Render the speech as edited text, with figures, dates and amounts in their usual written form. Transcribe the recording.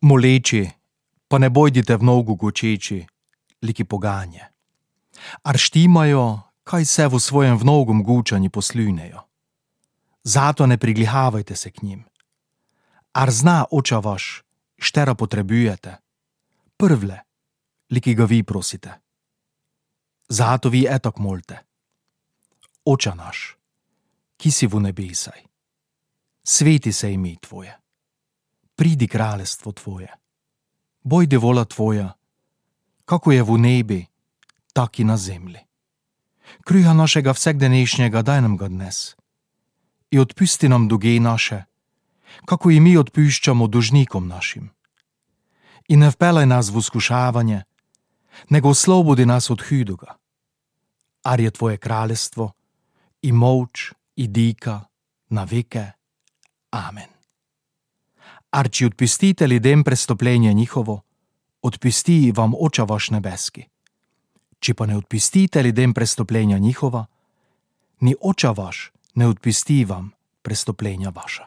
Moleči, pa ne bojdite v nogu gočeči, liki poganje. Ar štimajo, kaj se v svojem vnogom gučanji poslunejo. Zato ne priglihavajte se k njim. Ar zna oča vaš, štera potrebujete, prvle, liki ga vi prosite. Zato vi etak molte. Oča naš, ki si v nebesaj, sveti se ime tvoje, pridi kraljestvo tvoje, bojdi vola tvoja, kako je v nebi, tak i na zemlji. Kruha našega vsakdenejšnjega daj nam ga dnes i odpusti nam dolge naše, kako i mi odpuščamo dužnikom našim. I ne vpelaj nas v iskušavanje, nego oslobodi nas od hudoga. Ar je tvoje kraljestvo i moč i dika na veke. Amen. Ar či odpustite ljudem prestopljenje njihovo, odpusti vam oča vaš nebeski. Či pa ne odpustite ljudem prestopljenja njihova, ni oča vaš ne odpusti vam prestopljenja vaša.